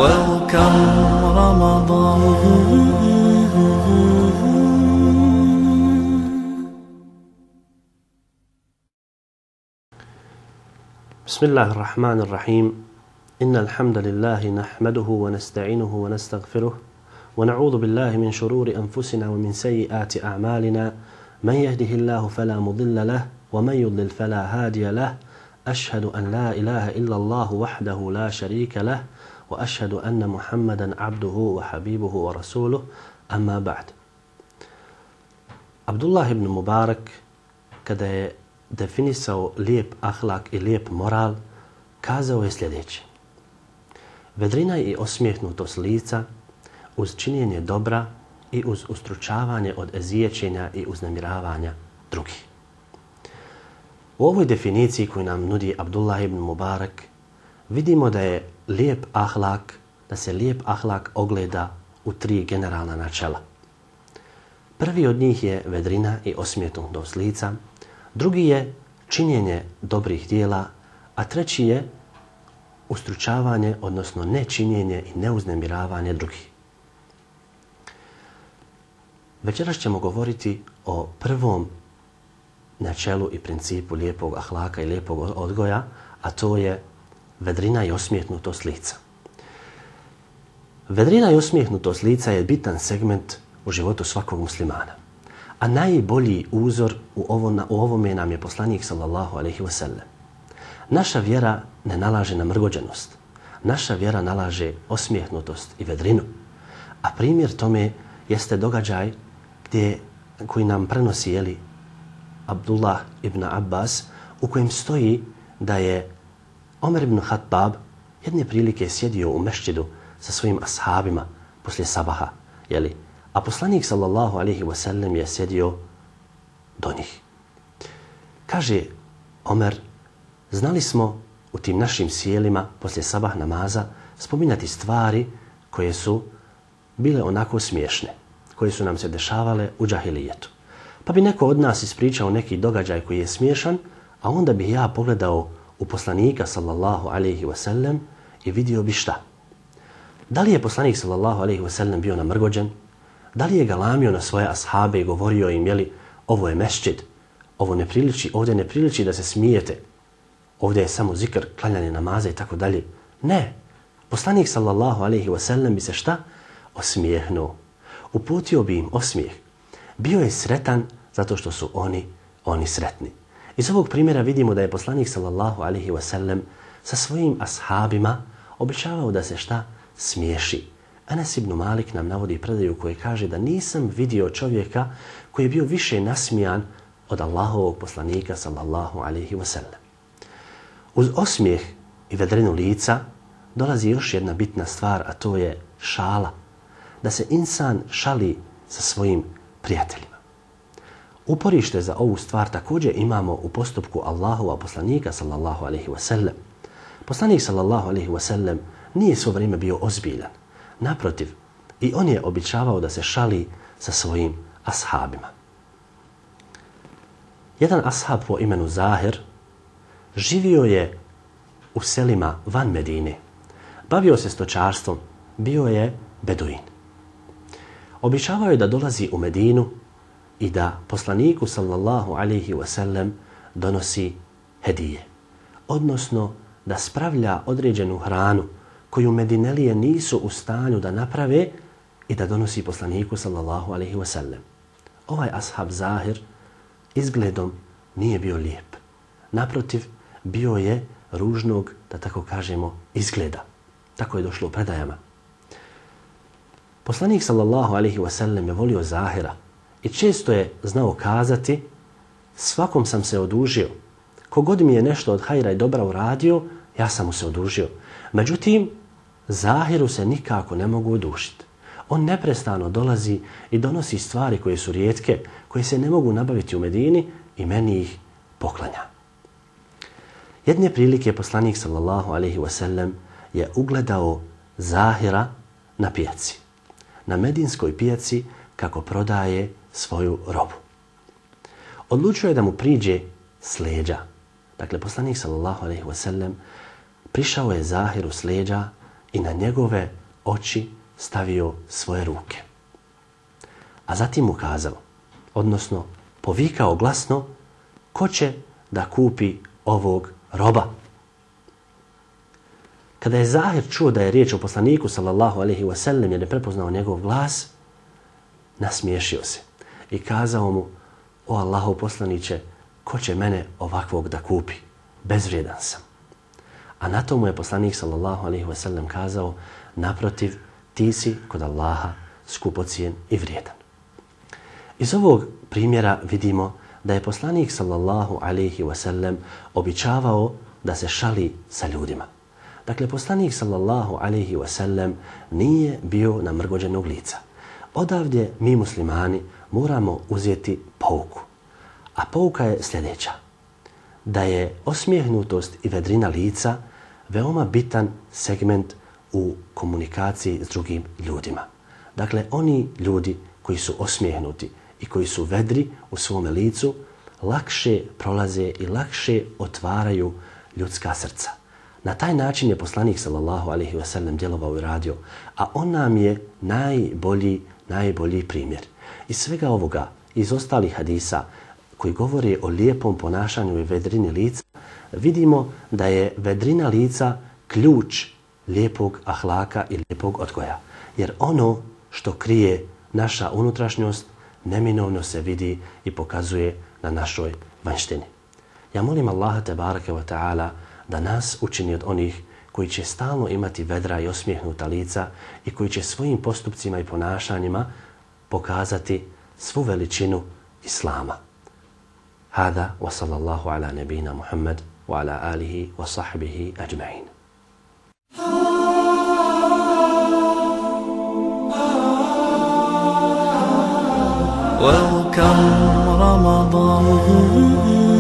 Welcome Ramadan. بسم الله الرحمن الرحيم إن الحمد لله نحمده ونستعينه ونستغفره ونعوذ بالله من شرور أنفسنا ومن سيئات أعمالنا من يهده الله فلا مضل له ومن يضلل فلا هادي له أشهد أن لا إله إلا الله وحده لا شريك له وأشهد أن محمدا عبده وحبيبه ورسوله أما بعد. Abdullah ibn Mubarak kada je definisao lijep ahlak i lijep moral, kazao je sljedeće: vedrina i osmijehnutost lica uz činjenje dobra i uz ustručavanje od ezijećenja i uznemiravanja drugih. U ovoj definiciji koju nam nudi Abdullah ibn Mubarak vidimo da je lijep ahlak, da se lijep ahlak ogleda u tri generalna načela. Prvi od njih je vedrina i osmijehnutost lica, drugi je činjenje dobrih dijela, a treći je ustručavanje, odnosno nečinjenje i neuznemiravanje drugih. Večeras ćemo govoriti o prvom načelu i principu lijepog ahlaka i lijepog odgoja, a to je vedrina i osmijehnutost lica. Vedrina i osmijehnutost lica je bitan segment u životu svakog muslimana. A najbolji uzor u ovome nam je poslanik sallallahu alejhi ve sellem. Naša vjera ne nalaže na mrgođenost. Naša vjera nalaže osmijehnutost i vedrinu. A primjer tome jeste događaj koji nam prenosi Abdullah ibn Abbas, u kojem stoji da je Omer ibn Khattab jedne prilike sjedio u mešćidu sa svojim ashabima poslije sabaha, a poslanik sallallahu alejhi ve sellem je sjedio do njih. Kaže Omer: znali smo u tim našim sjelima poslije sabah namaza spominjati stvari koje su bile onako smiješne, koje su nam se dešavale u džahilijetu. Pa bi neko od nas ispričao neki događaj koji je smiješan, a onda bi ja pogledao u poslanika sallallahu alejhi ve sellem i vidio bi šta? Da li je poslanik sallallahu alejhi ve sellem bio namrgođen? Da li je galamio na svoje ashabe i govorio im, ovo je mešćid, ovo ne priliči, ovdje ne priliči da se smijete, ovdje je samo zikr, klanjanje namaza i tako dalje? Ne. Poslanik sallallahu alejhi ve sellem bi se šta? Osmijehnuo. Uputio bi im osmijeh. Bio je sretan zato što su oni sretni. Iz ovog primjera vidimo da je poslanik sallallahu alejhi ve sellem sa svojim ashabima običavao da se šta? Smiješi. Enes ibn Malik nam navodi predaju koji kaže da nisam vidio čovjeka koji je bio više nasmijan od Allahovog poslanika sallallahu alejhi ve sellem. Uz osmijeh i vedrinu lica dolazi još jedna bitna stvar, a to je šala. Da se insan šali sa svojim prijateljima. Uporište za ovu stvar također imamo u postupku Allahova poslanika sallallahu alejhi ve sellem. Poslanik sallallahu alejhi ve sellem nije svo vrijeme bio ozbiljan. Naprotiv, i on je običavao da se šali sa svojim ashabima. Jedan ashab po imenu Zahir živio je u selima van Medine. Bavio se stočarstvom, bio je beduin. Običavao je da dolazi u Medinu i da poslaniku sallallahu alejhi ve sellem donosi hedije, odnosno da spravlja određenu hranu koju Medinelije nisu u stanju da naprave i da donosi poslaniku sallallahu alejhi ve sellem. Ovaj ashab Zahir izgledom nije bio lijep. Naprotiv, bio je ružnog, da tako kažemo, izgleda. Tako je došlo u predajama. Poslanik sallallahu alejhi ve sellem je volio Zahira i često je znao kazati: svakom sam se odužio. Kogod mi je nešto od hajra i dobra uradio, ja sam mu se odužio. Međutim, Zahiru se nikako ne mogu odužiti. On neprestano dolazi i donosi stvari koje su rijetke, koje se ne mogu nabaviti u Medini i meni ih poklanja. Jedne prilike poslanik sallallahu alejhi ve sellem je ugledao Zahira na pijaci. Na medinskoj pijaci kako prodaje svoju robu. Odlučio je da mu priđe s leđa. Dakle, poslanik sallallahu alejhi ve sellem prišao je Zahiru s leđa i na njegove oči stavio svoje ruke. A zatim mu kazao, odnosno povikao glasno, ko će da kupi ovog roba? Kada je Zahir čuo da je riječ o poslaniku sallallahu alejhi ve sellem, jer je prepoznao njegov glas, nasmiješio se i kazao mu, o Allahov poslaniće, ko će mene ovakvog da kupi? Bezvrijedan sam. A na to mu je poslanik sallallahu alejhi ve sellem kazao, naprotiv, ti si kod Allaha skupocijen i vrijedan. Iz ovog primjera vidimo da je poslanik sallallahu alejhi ve sellem običavao da se šali sa ljudima. Dakle, poslanik sallallahu alejhi ve sellem nije bio namrgođenog lica. Odavdje mi muslimani moramo uzeti pouku. A pouka je sljedeća. Da je osmijehnutost i vedrina lica veoma bitan segment u komunikaciji s drugim ljudima. Dakle, oni ljudi koji su osmijehnuti i koji su vedri u svome licu lakše prolaze i lakše otvaraju ljudska srca. Na taj način je poslanik sallallahu alejhi ve sellem djelovao i radio, a on nam je najbolji primjer. Iz svega ovoga, iz ostalih hadisa koji govore o lijepom ponašanju i vedrini lica, vidimo da je vedrina lica ključ lijepog ahlaka i lijepog odgoja. Jer ono što krije naša unutrašnjost neminovno se vidi i pokazuje na našoj vanjštini. Ja molim Allaha tebareke ve ta'ala da nas učini od onih koji će stalno imati vedra i osmijehnuta lica i koji će svojim postupcima i ponašanjima pokazati svu veličinu Islama. Hada wa sallallahu ala nabina Muhammad wa ala alihi wa sahbihi ajma'in. Welcome Ramadan.